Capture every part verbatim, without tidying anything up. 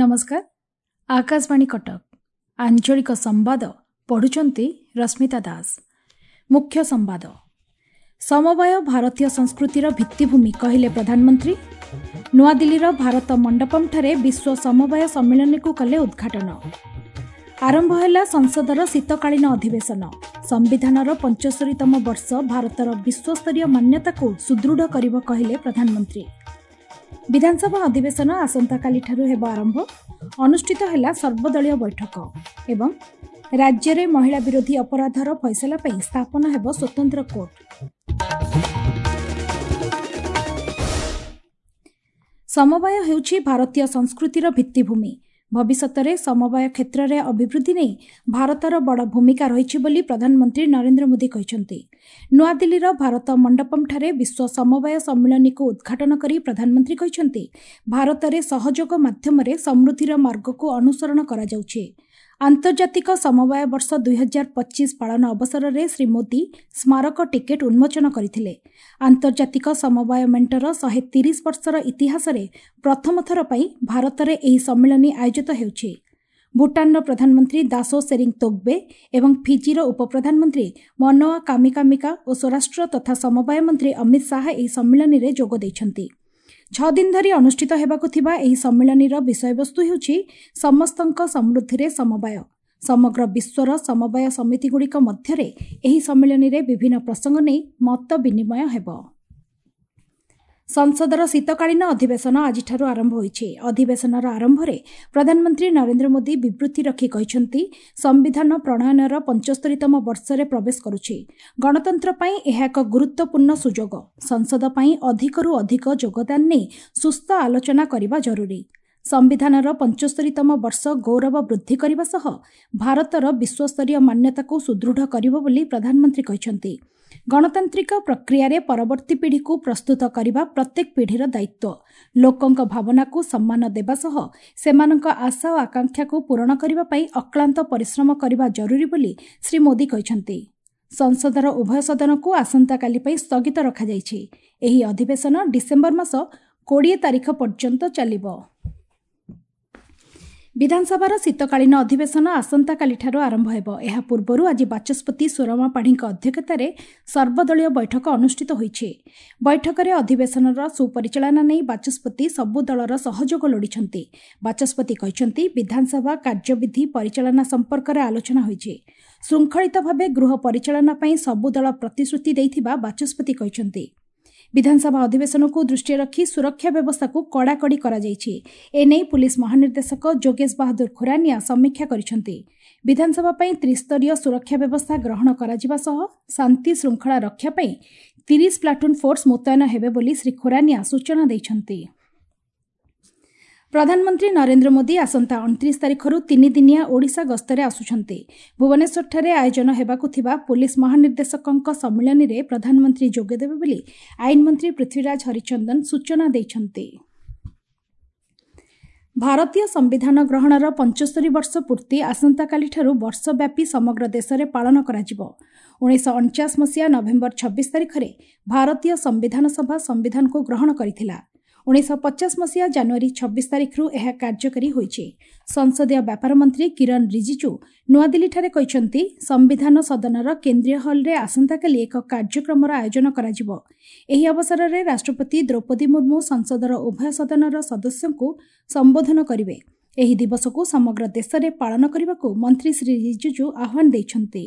ନମସ୍କାର, ଆକାଶବାଣୀ କଟକ ଆଞ୍ଚଳିକ ସମ୍ବାଦ ପଢ଼ୁଛନ୍ତି ରଶ୍ମିତା ଦାସ। ମୁଖ୍ୟ ସମ୍ବାଦ। ସମବାୟ ଭାରତୀୟ ସଂସ୍କୃତିର ଭିତ୍ତିଭୂମି କହିଲେ ପ୍ରଧାନମନ୍ତ୍ରୀ। ନୂଆଦିଲ୍ଲୀର ଭାରତ ମଣ୍ଡପମ୍ଠାରେ ବିଶ୍ୱ ସମବାୟ ସମ୍ମିଳନୀକୁ କଲେ ଉଦ୍ଘାଟନ। ଆରମ୍ଭ ହେଲା ସଂସଦର ଶୀତକାଳୀନ ଅଧିବେଶନ। ସମ୍ବିଧାନର ପଞ୍ଚସ୍ତରୀତମ ବର୍ଷ ଭାରତର ବିଶ୍ୱସ୍ତରୀୟ ମାନ୍ୟତାକୁ ସୁଦୃଢ଼ କରିବ କହିଲେ ପ୍ରଧାନମନ୍ତ୍ରୀ। ବିଧାନସଭା ଅଧିବେଶନ ଆସନ୍ତାକାଲିଠାରୁ ହେବ ଆରମ୍ଭ। ଅନୁଷ୍ଠିତ ହେଲା ସର୍ବଦଳୀୟ ବୈଠକ। ଏବଂ ରାଜ୍ୟରେ ମହିଳା ବିରୋଧୀ ଅପରାଧର ଫଇସଲା ପାଇଁ ସ୍ଥାପନ ହେବ ସ୍ୱତନ୍ତ୍ର କୋର୍ଟ। ସମବାୟ ହେଉଛି ଭାରତୀୟ ସଂସ୍କୃତିର ଭିତ୍ତିଭୂମି। ଭବିଷ୍ୟତରେ ସମବାୟ କ୍ଷେତ୍ରରେ ଅଭିବୃଦ୍ଧି ନେଇ ଭାରତର ବଡ଼ ଭୂମିକା ରହିଛି ବୋଲି ପ୍ରଧାନମନ୍ତ୍ରୀ ନରେନ୍ଦ୍ର ମୋଦି କହିଛନ୍ତି। ନୂଆଦିଲ୍ଲୀର ଭାରତ ମଣ୍ଡପମ୍ଠାରେ ବିଶ୍ୱ ସମବାୟ ସମ୍ମିଳନୀକୁ ଉଦ୍ଘାଟନ କରି ପ୍ରଧାନମନ୍ତ୍ରୀ କହିଛନ୍ତି, ଭାରତରେ ସହଯୋଗ ମାଧ୍ୟମରେ ସମୃଦ୍ଧିର ମାର୍ଗକୁ ଅନୁସରଣ କରାଯାଉଛି। ଆନ୍ତର୍ଜାତିକ ସମବାୟ ବର୍ଷ ଦୁଇହଜାର ପଚିଶ ପାଳନ ଅବସରରେ ଶ୍ରୀ ମୋଦି ସ୍ମାରକ ଟିକେଟ୍ ଉନ୍ମୋଚନ କରିଥିଲେ। ଆନ୍ତର୍ଜାତିକ ସମବାୟ ମେଣ୍ଟର ଶହେ ତିରିଶ ବର୍ଷର ଇତିହାସରେ ପ୍ରଥମ ଥର ପାଇଁ ଭାରତରେ ଏହି ସମ୍ମିଳନୀ ଆୟୋଜିତ ହେଉଛି। ଭୁଟାନର ପ୍ରଧାନମନ୍ତ୍ରୀ ଦାସୋ ସେରିଂ ତୋଗ୍ବେ ଏବଂ ଫିଜିର ଉପପ୍ରଧାନମନ୍ତ୍ରୀ ମନୋଆ କାମିକାମିକା ଓ ସ୍ୱରାଷ୍ଟ୍ର ତଥା ସମବାୟ ମନ୍ତ୍ରୀ ଅମିତ ଶାହା ଏହି ସମ୍ମିଳନୀରେ ଯୋଗ ଦେଇଛନ୍ତି। ଛଅ ଦିନ ଧରି ଅନୁଷ୍ଠିତ ହେବାକୁ ଥିବା ଏହି ସମ୍ମିଳନୀର ବିଷୟବସ୍ତୁ ହେଉଛି ସମସ୍ତଙ୍କ ସମୃଦ୍ଧିରେ ସମବାୟ। ସମଗ୍ର ବିଶ୍ୱର ସମବାୟ ସମିତିଗୁଡ଼ିକ ମଧ୍ୟରେ ଏହି ସମ୍ମିଳନୀରେ ବିଭିନ୍ନ ପ୍ରସଙ୍ଗ ନେଇ ମତ ବିନିମୟ ହେବ। ସଂସଦର ଶୀତକାଳୀନ ଅଧିବେଶନ ଆଜିଠାରୁ ଆରମ୍ଭ ହୋଇଛି। ଅଧିବେଶନର ଆରମ୍ଭରେ ପ୍ରଧାନମନ୍ତ୍ରୀ ନରେନ୍ଦ୍ର ମୋଦି ବିବୃତ୍ତି ରଖି କହିଛନ୍ତି, ସମ୍ବିଧାନ ପ୍ରଣୟନର ପଞ୍ଚସ୍ତରୀତମ ବର୍ଷରେ ପ୍ରବେଶ କରୁଛି। ଗଣତନ୍ତ୍ର ପାଇଁ ଏହା ଏକ ଗୁରୁତ୍ୱପୂର୍ଣ୍ଣ ସୁଯୋଗ। ସଂସଦ ପାଇଁ ଅଧିକରୁ ଅଧିକ ଯୋଗଦାନ ନେଇ ସୁସ୍ଥ ଆଲୋଚନା କରିବା ଜରୁରୀ। ସମ୍ବିଧାନର ପଞ୍ଚସ୍ତରୀତମ ବର୍ଷ ଗୌରବ ବୃଦ୍ଧି କରିବା ସହ ଭାରତର ବିଶ୍ୱସ୍ତରୀୟ ମାନ୍ୟତାକୁ ସୁଦୃଢ଼ କରିବ ବୋଲି ପ୍ରଧାନମନ୍ତ୍ରୀ କହିଛନ୍ତି। ଗଣତାନ୍ତ୍ରିକ ପ୍ରକ୍ରିୟାରେ ପରବର୍ତ୍ତୀ ପିଢ଼ିକୁ ପ୍ରସ୍ତୁତ କରିବା ପ୍ରତ୍ୟେକ ପିଢ଼ିର ଦାୟିତ୍ୱ। ଲୋକଙ୍କ ଭାବନାକୁ ସମ୍ମାନ ଦେବା ସହ ସେମାନଙ୍କ ଆଶା ଓ ଆକାଂକ୍ଷାକୁ ପୂରଣ କରିବା ପାଇଁ ଅକ୍ଳାନ୍ତ ପରିଶ୍ରମ କରିବା ଜରୁରୀ ବୋଲି ଶ୍ରୀ ମୋଦି କହିଛନ୍ତି। ସଂସଦର ଉଭୟ ସଦନକୁ ଆସନ୍ତାକାଲି ପାଇଁ ସ୍ଥଗିତ ରଖାଯାଇଛି। ଏହି ଅଧିବେଶନ ଡିସେମ୍ବର ମାସ କୋଡ଼ିଏ ତାରିଖ ପର୍ଯ୍ୟନ୍ତ ଚାଲିବ। ବିଧାନସଭାର ଶୀତକାଳୀନ ଅଧିବେଶନ ଆସନ୍ତାକାଲିଠାରୁ ଆରମ୍ଭ ହେବ। ଏହା ପୂର୍ବରୁ ଆଜି ବାଚସ୍ପତି ସୁରମା ପାଢ଼ୀଙ୍କ ଅଧ୍ୟକ୍ଷତାରେ ସର୍ବଦଳୀୟ ବୈଠକ ଅନୁଷ୍ଠିତ ହୋଇଛି। ବୈଠକରେ ଅଧିବେଶନର ସୁପରିଚାଳନା ନେଇ ବାଚସ୍ପତି ସବୁ ଦଳର ସହଯୋଗ ଲୋଡ଼ିଛନ୍ତି। ବାଚସ୍ପତି କହିଛନ୍ତି, ବିଧାନସଭା କାର୍ଯ୍ୟବିଧି ପରିଚାଳନା ସମ୍ପର୍କରେ ଆଲୋଚନା ହୋଇଛି। ଶୃଙ୍ଖଳିତ ଭାବେ ଗୃହ ପରିଚାଳନା ପାଇଁ ସବୁ ଦଳ ପ୍ରତିଶ୍ରୁତି ଦେଇଥିବା ବାଚସ୍ପତି କହିଛନ୍ତି। ବିଧାନସଭା ଅଧିବେଶନକୁ ଦୃଷ୍ଟିରେ ରଖି ସୁରକ୍ଷା ବ୍ୟବସ୍ଥାକୁ କଡ଼ାକଡ଼ି କରାଯାଇଛି। ଏନେଇ ପୁଲିସ ମହାନିର୍ଦ୍ଦେଶକ ଯୋଗେଶ ବାହାଦୁର ଖୁରାନିଆ ସମୀକ୍ଷା କରିଛନ୍ତି। ବିଧାନସଭା ପାଇଁ ତ୍ରିସ୍ତରୀୟ ସୁରକ୍ଷା ବ୍ୟବସ୍ଥା ଗ୍ରହଣ କରାଯିବା ସହ ଶାନ୍ତି ଶୃଙ୍ଖଳା ରକ୍ଷା ପାଇଁ ତିରିଶ ପ୍ଲାଟୁନ୍ ଫୋର୍ସ ମୁତୟନ ହେବେ ବୋଲି ଶ୍ରୀ ଖୁରାନିଆ ସୂଚନା ଦେଇଛନ୍ତି। ପ୍ରଧାନମନ୍ତ୍ରୀ ନରେନ୍ଦ୍ର ମୋଦି ଆସନ୍ତା ଅଣତିରିଶ ତାରିଖରୁ ତିନିଦିନିଆ ଓଡ଼ିଶା ଗସ୍ତରେ ଆସୁଛନ୍ତି। ଭୁବନେଶ୍ୱରଠାରେ ଆୟୋଜନ ହେବାକୁ ଥିବା ପୁଲିସ ମହାନିର୍ଦ୍ଦେଶକଙ୍କ ସମ୍ମିଳନୀରେ ପ୍ରଧାନମନ୍ତ୍ରୀ ଯୋଗଦେବେ ବୋଲି ଆଇନମନ୍ତ୍ରୀ ପୃଥ୍ୱୀରାଜ ହରିଚନ୍ଦନ ସୂଚନା ଦେଇଛନ୍ତି। ଭାରତୀୟ ସମ୍ବିଧାନ ଗ୍ରହଣର ପଞ୍ଚସ୍ତରୀ ବର୍ଷ ପୂର୍ତ୍ତି ଆସନ୍ତାକାଲିଠାରୁ ବର୍ଷବ୍ୟାପୀ ସମଗ୍ର ଦେଶରେ ପାଳନ କରାଯିବ। ଉଣେଇଶହ ଅଣଚାଶ ମସିହା ନଭେମ୍ବର ଛବିଶ ତାରିଖରେ ଭାରତୀୟ ସମ୍ବିଧାନ ସଭା ସମ୍ବିଧାନକୁ ଗ୍ରହଣ କରିଥିଲା। ଉଣେଇଶହ ପଚାଶ ମସିହା ଜାନୁଆରୀ ଛବିଶ ତାରିଖରୁ ଏହା କାର୍ଯ୍ୟକାରୀ ହୋଇଛି। ସଂସଦୀୟ ବ୍ୟାପାର ମନ୍ତ୍ରୀ କିରଣ ରିଜିଜୁ ନୂଆଦିଲ୍ଲୀଠାରେ କହିଛନ୍ତି, ସମ୍ବିଧାନ ସଦନର କେନ୍ଦ୍ରୀୟ ହଲ୍ରେ ଆସନ୍ତାକାଲି ଏକ କାର୍ଯ୍ୟକ୍ରମର ଆୟୋଜନ କରାଯିବ। ଏହି ଅବସରରେ ରାଷ୍ଟ୍ରପତି ଦ୍ରୌପଦୀ ମୁର୍ମୁ ସଂସଦର ଉଭୟ ସଦନର ସଦସ୍ୟଙ୍କୁ ସମ୍ବୋଧନ କରିବେ। ଏହି ଦିବସକୁ ସମଗ୍ର ଦେଶରେ ପାଳନ କରିବାକୁ ମନ୍ତ୍ରୀ ଶ୍ରୀ ରିଜିଜୁ ଆହ୍ୱାନ ଦେଇଛନ୍ତି।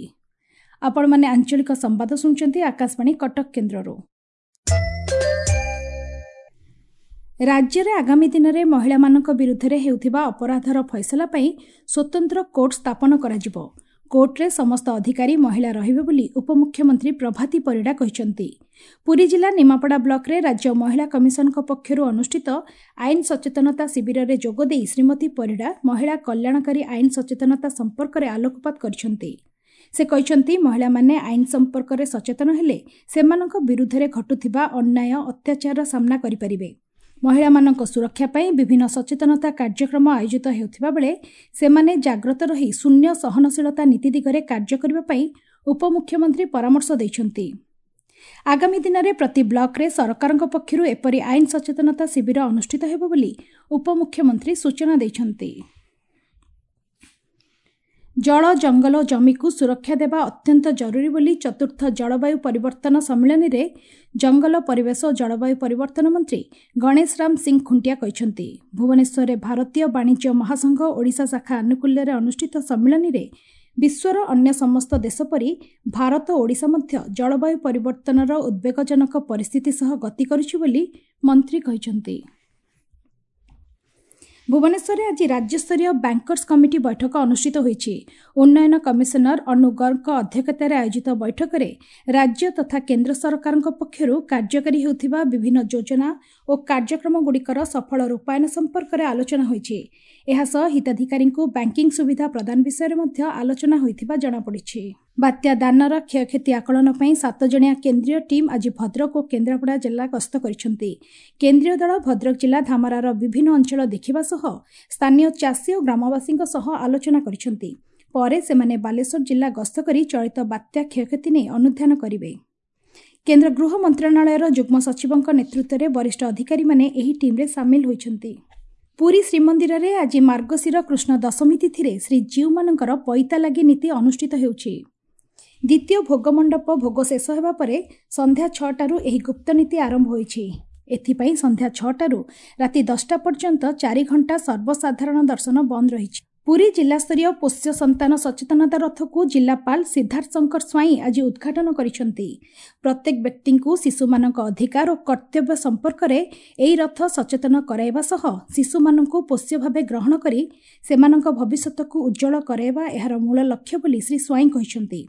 ଆପଣମାନେ ଆଞ୍ଚଳିକ ସମ୍ବାଦ ଶୁଣୁଛନ୍ତି ଆକାଶବାଣୀ କଟକ କେନ୍ଦ୍ରରୁ। ରାଜ୍ୟରେ ଆଗାମୀ ଦିନରେ ମହିଳାମାନଙ୍କ ବିରୁଦ୍ଧରେ ହେଉଥିବା ଅପରାଧର ଫଇସଲା ପାଇଁ ସ୍ୱତନ୍ତ୍ର କୋର୍ଟ ସ୍ଥାପନ କରାଯିବ। କୋର୍ଟରେ ସମସ୍ତ ଅଧିକାରୀ ମହିଳା ରହିବେ ବୋଲି ଉପମୁଖ୍ୟମନ୍ତ୍ରୀ ପ୍ରଭାତୀ ପରିଡ଼ା କହିଛନ୍ତି। ପୁରୀ ଜିଲ୍ଲା ନିମାପଡ଼ା ବ୍ଲକରେ ରାଜ୍ୟ ମହିଳା କମିଶନଙ୍କ ପକ୍ଷରୁ ଅନୁଷ୍ଠିତ ଆଇନ ସଚେତନତା ଶିବିରରେ ଯୋଗଦେଇ ଶ୍ରୀମତୀ ପରିଡ଼ା ମହିଳା କଲ୍ୟାଣକାରୀ ଆଇନ ସଚେତନତା ସମ୍ପର୍କରେ ଆଲୋକପାତ କରିଛନ୍ତି। ସେ କହିଛନ୍ତି, ମହିଳାମାନେ ଆଇନ ସମ୍ପର୍କରେ ସଚେତନ ହେଲେ ସେମାନଙ୍କ ବିରୁଦ୍ଧରେ ଘଟୁଥିବା ଅନ୍ୟାୟ ଅତ୍ୟାଚାରର ସାମ୍ନା କରିପାରିବେ। ମହିଳାମାନଙ୍କ ସୁରକ୍ଷା ପାଇଁ ବିଭିନ୍ନ ସଚେତନତା କାର୍ଯ୍ୟକ୍ରମ ଆୟୋଜିତ ହେଉଥିବା ବେଳେ ସେମାନେ ଜାଗ୍ରତ ରହି ଶୂନ୍ୟ ସହନଶୀଳତା ନୀତି ଦିଗରେ କାର୍ଯ୍ୟ କରିବା ପାଇଁ ଉପମୁଖ୍ୟମନ୍ତ୍ରୀ ପରାମର୍ଶ ଦେଇଛନ୍ତି। ଆଗାମୀ ଦିନରେ ପ୍ରତି ବ୍ଲକରେ ସରକାରଙ୍କ ପକ୍ଷରୁ ଏପରି ଆଇନ ସଚେତନତା ଶିବିର ଅନୁଷ୍ଠିତ ହେବ ବୋଲି ଉପମୁଖ୍ୟମନ୍ତ୍ରୀ ସୂଚନା ଦେଇଛନ୍ତି। ଜଳ, ଜଙ୍ଗଲ ଓ ଜମିକୁ ସୁରକ୍ଷା ଦେବା ଅତ୍ୟନ୍ତ ଜରୁରୀ ବୋଲି ଚତୁର୍ଥ ଜଳବାୟୁ ପରିବର୍ତ୍ତନ ସମ୍ମିଳନୀରେ ଜଙ୍ଗଲ, ପରିବେଶ ଓ ଜଳବାୟୁ ପରିବର୍ତ୍ତନ ମନ୍ତ୍ରୀ ଗଣେଶ ରାମ ସିଂ ଖୁଣ୍ଟିଆ କହିଛନ୍ତି। ଭୁବନେଶ୍ୱରରେ ଭାରତୀୟ ବାଣିଜ୍ୟ ମହାସଂଘ ଓଡ଼ିଶା ଶାଖା ଆନୁକୂଲ୍ୟରେ ଅନୁଷ୍ଠିତ ସମ୍ମିଳନୀରେ ବିଶ୍ୱର ଅନ୍ୟ ସମସ୍ତ ଦେଶ ପରି ଭାରତ ଓ ଓଡ଼ିଶା ମଧ୍ୟ ଜଳବାୟୁ ପରିବର୍ତ୍ତନର ଉଦ୍ବେଗଜନକ ପରିସ୍ଥିତି ସହ ଗତି କରୁଛି ବୋଲି ମନ୍ତ୍ରୀ କହିଛନ୍ତି। ଭୁବନେଶ୍ୱରରେ ଆଜି ରାଜ୍ୟସ୍ତରୀୟ ବ୍ୟାଙ୍କର୍ସ କମିଟି ବୈଠକ ଅନୁଷ୍ଠିତ ହୋଇଛି। ଉନ୍ନୟନ କମିଶନର ଅନୁ ଗର୍ଗଙ୍କ ଅଧ୍ୟକ୍ଷତାରେ ଆୟୋଜିତ ବୈଠକରେ ରାଜ୍ୟ ତଥା କେନ୍ଦ୍ର ସରକାରଙ୍କ ପକ୍ଷରୁ କାର୍ଯ୍ୟକାରୀ ହେଉଥିବା ବିଭିନ୍ନ ଯୋଜନା ଓ କାର୍ଯ୍ୟକ୍ରମଗୁଡ଼ିକର ସଫଳ ରୂପାୟନ ସମ୍ପର୍କରେ ଆଲୋଚନା ହୋଇଛି। ଏହାସହ ହିତାଧିକାରୀଙ୍କୁ ବ୍ୟାଙ୍କିଂ ସୁବିଧା ପ୍ରଦାନ ବିଷୟରେ ମଧ୍ୟ ଆଲୋଚନା ହୋଇଥିବା ଜଣାପଡ଼ିଛି। ବାତ୍ୟା ଦାନର କ୍ଷୟକ୍ଷତି ଆକଳନ ପାଇଁ ସାତ ଜଣିଆ କେନ୍ଦ୍ରୀୟ ଟିମ୍ ଆଜି ଭଦ୍ରକ ଓ କେନ୍ଦ୍ରାପଡ଼ା ଜିଲ୍ଲା ଗସ୍ତ କରିଛନ୍ତି। କେନ୍ଦ୍ରୀୟ ଦଳ ଭଦ୍ରକ ଜିଲ୍ଲା ଧାମରାର ବିଭିନ୍ନ ଅଞ୍ଚଳ ଦେଖିବା ସହ ସ୍ଥାନୀୟ ଚାଷୀ ଓ ଗ୍ରାମବାସୀଙ୍କ ସହ ଆଲୋଚନା କରିଛନ୍ତି। ପରେ ସେମାନେ ବାଲେଶ୍ୱର ଜିଲ୍ଲା ଗସ୍ତ କରି ଚଳିତ ବାତ୍ୟା କ୍ଷୟକ୍ଷତି ନେଇ ଅନୁଧ୍ୟାନ କରିବେ। କେନ୍ଦ୍ର ଗୃହ ମନ୍ତ୍ରଣାଳୟର ଯୁଗ୍ମ ସଚିବଙ୍କ ନେତୃତ୍ୱରେ ବରିଷ୍ଠ ଅଧିକାରୀମାନେ ଏହି ଟିମ୍ରେ ସାମିଲ ହୋଇଛନ୍ତି। ପୁରୀ ଶ୍ରୀମନ୍ଦିରରେ ଆଜି ମାର୍ଗଶିର କୃଷ୍ଣ ଦଶମୀ ତିଥିରେ ଶ୍ରୀଜୀଉମାନଙ୍କର ପଇତା ଲାଗି ନୀତି ଅନୁଷ୍ଠିତ ହେଉଛି। ଦ୍ୱିତୀୟ ଭୋଗମଣ୍ଡପ ଭୋଗ ଶେଷ ହେବା ପରେ ସନ୍ଧ୍ୟା ଛଅଟାରୁ ଏହି ଗୁପ୍ତ ନୀତି ଆରମ୍ଭ ହୋଇଛି। ଏଥିପାଇଁ ସନ୍ଧ୍ୟା ଛଅଟାରୁ ରାତି ଦଶଟା ପର୍ଯ୍ୟନ୍ତ ଚାରି ଘଣ୍ଟା ସର୍ବସାଧାରଣ ଦର୍ଶନ ବନ୍ଦ ରହିଛି। ପୁରୀ ଜିଲ୍ଲାସ୍ତରୀୟ ପୋଷ୍ୟ ସନ୍ତାନ ସଚେତନତା ରଥକୁ ଜିଲ୍ଲାପାଳ ସିଦ୍ଧାର୍ଥ ଶଙ୍କର ସ୍ୱାଇଁ ଆଜି ଉଦ୍ଘାଟନ କରିଛନ୍ତି। ପ୍ରତ୍ୟେକ ବ୍ୟକ୍ତିଙ୍କୁ ଶିଶୁମାନଙ୍କ ଅଧିକାର ଓ କର୍ତ୍ତବ୍ୟ ସମ୍ପର୍କରେ ଏହି ରଥ ସଚେତନ କରାଇବା ସହ ଶିଶୁମାନଙ୍କୁ ପୋଷ୍ୟ ଭାବେ ଗ୍ରହଣ କରି ସେମାନଙ୍କ ଭବିଷ୍ୟତକୁ ଉଜ୍ଜ୍ୱଳ କରାଇବା ଏହାର ମୂଳ ଲକ୍ଷ୍ୟ ବୋଲି ଶ୍ରୀ ସ୍ୱାଇଁ କହିଛନ୍ତି।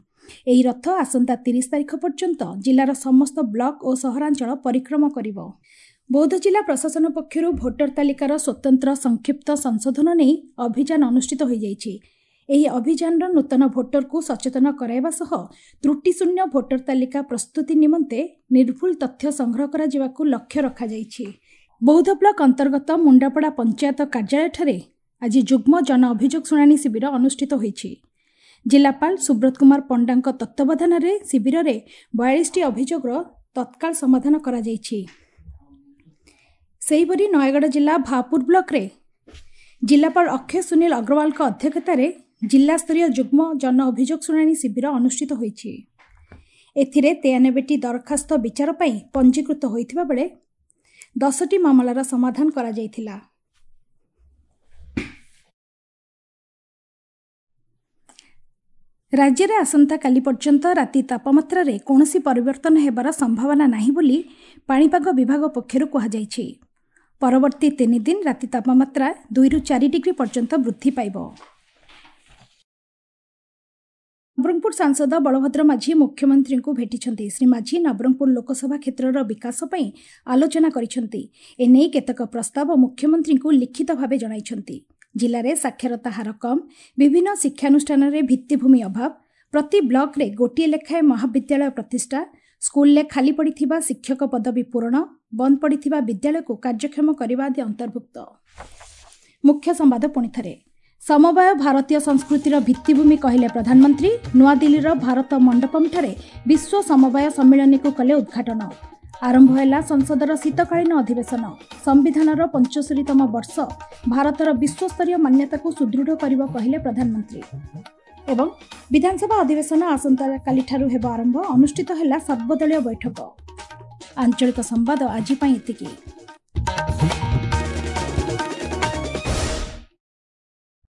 ଏହି ରଥ ଆସନ୍ତା ତିରିଶ ତାରିଖ ପର୍ଯ୍ୟନ୍ତ ଜିଲ୍ଲାର ସମସ୍ତ ବ୍ଲକ ଓ ସହରାଞ୍ଚଳ ପରିକ୍ରମା କରିବ। ବୌଦ୍ଧ ଜିଲ୍ଲା ପ୍ରଶାସନ ପକ୍ଷରୁ ଭୋଟର ତାଲିକାର ସ୍ୱତନ୍ତ୍ର ସଂକ୍ଷିପ୍ତ ସଂଶୋଧନ ନେଇ ଅଭିଯାନ ଅନୁଷ୍ଠିତ ହୋଇଯାଇଛି। ଏହି ଅଭିଯାନର ନୂତନ ଭୋଟରକୁ ସଚେତନ କରାଇବା ସହ ତ୍ରୁଟିଶୂନ୍ୟ ଭୋଟର ତାଲିକା ପ୍ରସ୍ତୁତି ନିମନ୍ତେ ନିର୍ଭୁଲ ତଥ୍ୟ ସଂଗ୍ରହ କରାଯିବାକୁ ଲକ୍ଷ୍ୟ ରଖାଯାଇଛି। ବୌଦ୍ଧ ବ୍ଲକ ଅନ୍ତର୍ଗତ ମୁଣ୍ଡାପଡ଼ା ପଞ୍ଚାୟତ କାର୍ଯ୍ୟାଳୟଠାରେ ଆଜି ଯୁଗ୍ମ ଜନ ଅଭିଯୋଗ ଶୁଣାଣି ଶିବିର ଅନୁଷ୍ଠିତ ହୋଇଛି। ଜିଲ୍ଲାପାଳ ସୁବ୍ରତ କୁମାର ପଣ୍ଡାଙ୍କ ତତ୍ତ୍ୱାବଧାନରେ ଶିବିରରେ ବୟାଳିଶଟି ଅଭିଯୋଗର ତତ୍କାଳ ସମାଧାନ କରାଯାଇଛି। ସେହିପରି ନୟାଗଡ଼ ଜିଲ୍ଲା ଭାପୁର ବ୍ଲକରେ ଜିଲ୍ଲାପାଳ ଅକ୍ଷୟ ସୁନୀଲ ଅଗ୍ରୱାଲଙ୍କ ଅଧ୍ୟକ୍ଷତାରେ ଜିଲ୍ଲାସ୍ତରୀୟ ଯୁଗ୍ମ ଜନ ଅଭିଯୋଗ ଶୁଣାଣି ଶିବିର ଅନୁଷ୍ଠିତ ହୋଇଛି। ଏଥିରେ ତେୟାନବେଟି ଦରଖାସ୍ତ ବିଚାର ପାଇଁ ପଞ୍ଜୀକୃତ ହୋଇଥିବା ବେଳେ ଦଶଟି ମାମଲାର ସମାଧାନ କରାଯାଇଥିଲା। ରାଜ୍ୟରେ ଆସନ୍ତାକାଲି ପର୍ଯ୍ୟନ୍ତ ରାତି ତାପମାତ୍ରାରେ କୌଣସି ପରିବର୍ତ୍ତନ ହେବାର ସମ୍ଭାବନା ନାହିଁ ବୋଲି ପାଣିପାଗ ବିଭାଗ ପକ୍ଷରୁ କୁହାଯାଇଛି। ପରବର୍ତ୍ତୀ ତିନି ଦିନ ରାତି ତାପମାତ୍ରା ଦୁଇରୁ ଚାରି ଡିଗ୍ରୀ ପର୍ଯ୍ୟନ୍ତ ବୃଦ୍ଧି ପାଇବ। ନବରଙ୍ଗପୁର ସାଂସଦ ବଳଭଦ୍ର ମାଝୀ ମୁଖ୍ୟମନ୍ତ୍ରୀଙ୍କୁ ଭେଟିଛନ୍ତି। ଶ୍ରୀ ମାଝୀ ନବରଙ୍ଗପୁର ଲୋକସଭା କ୍ଷେତ୍ରର ବିକାଶ ପାଇଁ ଆଲୋଚନା କରିଛନ୍ତି। ଏନେଇ କେତେକ ପ୍ରସ୍ତାବ ମୁଖ୍ୟମନ୍ତ୍ରୀଙ୍କୁ ଲିଖିତ ଭାବେ ଜଣାଇଛନ୍ତି। ଜିଲ୍ଲାରେ ସାକ୍ଷରତା ହାର କମ୍, ବିଭିନ୍ନ ଶିକ୍ଷାନୁଷ୍ଠାନରେ ଭିତ୍ତିଭୂମି ଅଭାବ, ପ୍ରତି ବ୍ଲକରେ ଗୋଟିଏ ଲେଖାଏଁ ମହାବିଦ୍ୟାଳୟ ପ୍ରତିଷ୍ଠା, ସ୍କୁଲରେ ଖାଲି ପଡ଼ିଥିବା ଶିକ୍ଷକ ପଦବୀ ପୂରଣ, ବନ୍ଦ ପଡ଼ିଥିବା ବିଦ୍ୟାଳୟକୁ କାର୍ଯ୍ୟକ୍ଷମ କରିବା ଆଦି ଅନ୍ତର୍ଭୁକ୍ତ। ମୁଖ୍ୟ ସମ୍ବାଦ ପୁଣିଥରେ। ସମବାୟ ଭାରତୀୟ ସଂସ୍କୃତିର ଭିତ୍ତିଭୂମି କହିଲେ ପ୍ରଧାନମନ୍ତ୍ରୀ। ନୂଆଦିଲ୍ଲୀର ଭାରତ ମଣ୍ଡପମଠାରେ ବିଶ୍ୱ ସମବାୟ ସମ୍ମିଳନୀକୁ କଲେ ଉଦ୍ଘାଟନ। ଆରମ୍ଭ ହେଲା ସଂସଦର ଶୀତକାଳୀନ ଅଧିବେଶନ। ସମ୍ବିଧାନର ପଞ୍ଚସ୍ତରୀତମ ବର୍ଷ ଭାରତର ବିଶ୍ୱସ୍ତରୀୟ ମାନ୍ୟତାକୁ ସୁଦୃଢ଼ କରିବ କହିଲେ ପ୍ରଧାନମନ୍ତ୍ରୀ। ଏବଂ ବିଧାନସଭା ଅଧିବେଶନ ଆସନ୍ତାକାଲିଠାରୁ ହେବ ଆରମ୍ଭ। ଅନୁଷ୍ଠିତ ହେଲା ସର୍ବଦଳୀୟ ବୈଠକ। ଆଞ୍ଚଳିକ ସମ୍ବାଦ ଆଜି ପାଇଁ ଏତିକି।